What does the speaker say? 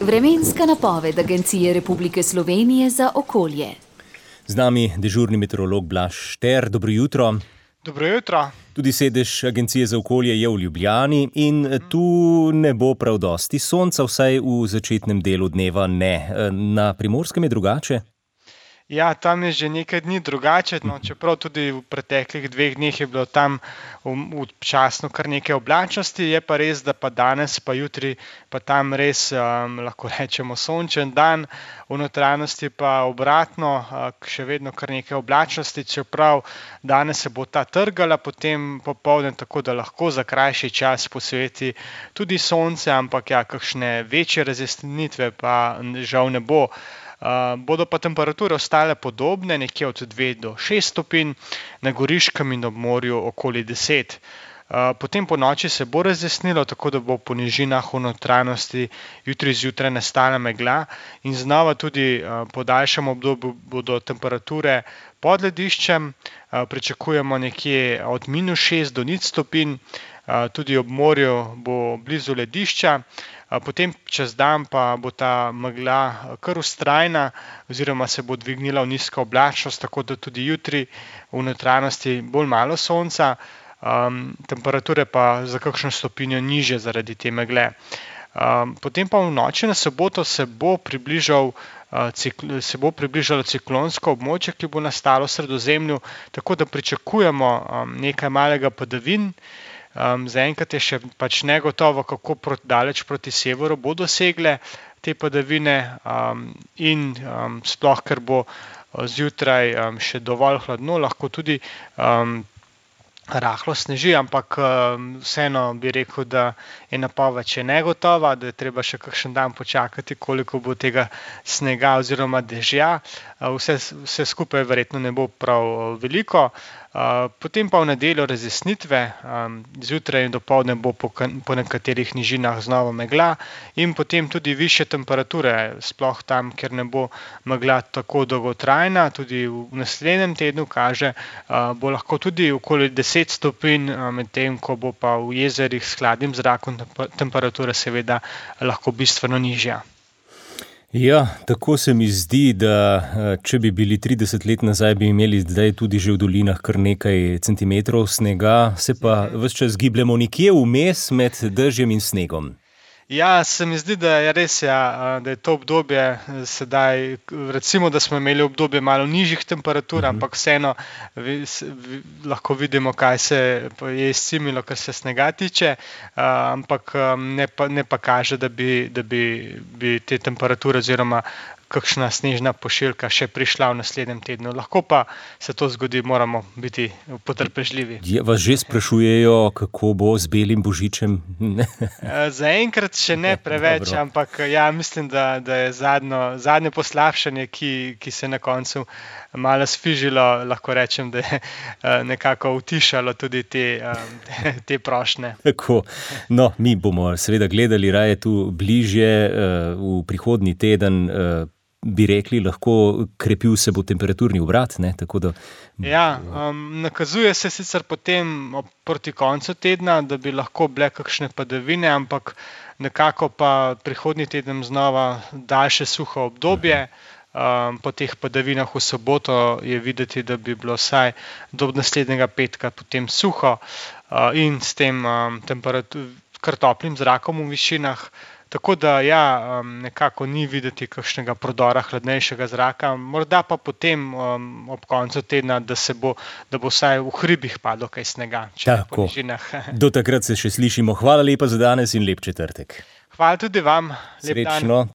Vremenska napoved Agencije Republike Slovenije za okolje. Z nami dežurni meteorolog Blaž Šter. Dobro jutro. Dobro jutro. Tudi sedež Agencije za okolje je v Ljubljani in tu ne bo prav dosti sonca, vsaj v začetnem delu dneva ne. Na Primorskem je drugače? Ja, tam je že nekaj dni drugače, čeprav tudi v preteklih 2 dneh je bilo tam občasno kar nekaj oblačnosti, je pa res, da pa danes, pa jutri, pa tam res lahko rečemo sončen dan, v notranjosti pa obratno, še vedno kar nekaj oblačnosti, čeprav danes se bo ta trgala, potem popoldne, tako da lahko za krajši čas posveti tudi sonce, ampak ja, kakšne večje razjasnitve pa žal ne bo. Bodo pa temperature ostale podobne, nekje od 2 do 6 stopinj, na Goriškem in ob morju okoli 10. Potem po noči se bo razjasnilo, tako da bo po nižinah v notranjosti jutri zjutraj nastala megla in znova tudi po daljšem obdobju bodo temperature pod lediščem, pričakujemo nekje od -6 do 0 stopinj, tudi ob morju bo blizu ledišča. Potem čez dan pa bo ta megla kar vztrajna oziroma se bo dvignila v nizko oblačnost, tako da tudi jutri v notranjosti bolj malo sonca, temperature pa za kakšno stopinjo nižje zaradi te megle. Potem pa v noči na soboto se bo približalo ciklonsko območje, ki bo nastalo v Sredozemlju, tako da pričakujemo nekaj malega padavin. Zaenkrat je še pač negotovo, kako daleč proti severu bodo segle te padavine in sploh, ker bo zjutraj še dovolj hladno, lahko tudi rahlo sneži, ampak vseeno bi rekel, da je napoved še negotova, da je treba še kakšen dan počakati, koliko bo tega snega oziroma dežja. Vse skupaj verjetno ne bo prav veliko. Potem pa v nedeljo razjasnitve, zjutraj in dopoldne bo po nekaterih nižinah znova megla in potem tudi višje temperature, sploh tam, kjer ne bo megla tako dolgotrajna, tudi v naslednjem tednu kaže, bo lahko tudi okoli 10 stopinj, medtem ko bo pa v jezerih s hladnim zrakom temperatura seveda lahko bistveno nižja. Ja, tako se mi zdi, da če bi bili 30 let nazaj, bi imeli zdaj tudi že v dolinah kar nekaj centimetrov snega, se pa ves čas gibljemo nekje vmes med dežjem in snegom. Ja, se mi zdi, da je res, da je to obdobje sedaj, recimo, da smo imeli obdobje malo nižjih temperatur, ampak vseeno lahko vidimo, kaj se je izcimilo, kar se snega tiče, ampak ne pa kaže, da bi te temperature oziroma kakšna snežna pošiljka še prišla v naslednjem tednu. Lahko pa se to zgodi, moramo biti potrpežljivi. Vas že sprašujejo, kako bo z belim božičem? Zaenkrat še ne preveč, ampak ja, mislim, da je zadnje poslabšanje, ki se na koncu malo sfižilo, lahko rečem, da je nekako utišalo tudi te prošnje. Tako, no, mi bomo seveda gledali raje tu bližje v prihodnji teden, bi rekli, lahko krepil se bo temperaturni obrat, ne? Tako da... Ja, nakazuje se sicer potem proti koncu tedna, da bi lahko bile kakšne padavine, ampak nekako pa prihodnji teden znova daljše suho obdobje. Po teh padavinah v soboto je videti, da bi bilo vsaj do naslednjega petka potem suho in s tem kar toplim zrakom v višinah. Tako da ja, nekako ni videti kakšnega prodora hladnejšega zraka, morda pa potem ob koncu tedna, da bo vsaj v hribih padlo kaj snega, če po nižinah. Do takrat se še slišimo. Hvala lepa za danes in lep četrtek. Hvala tudi vam. Srečno.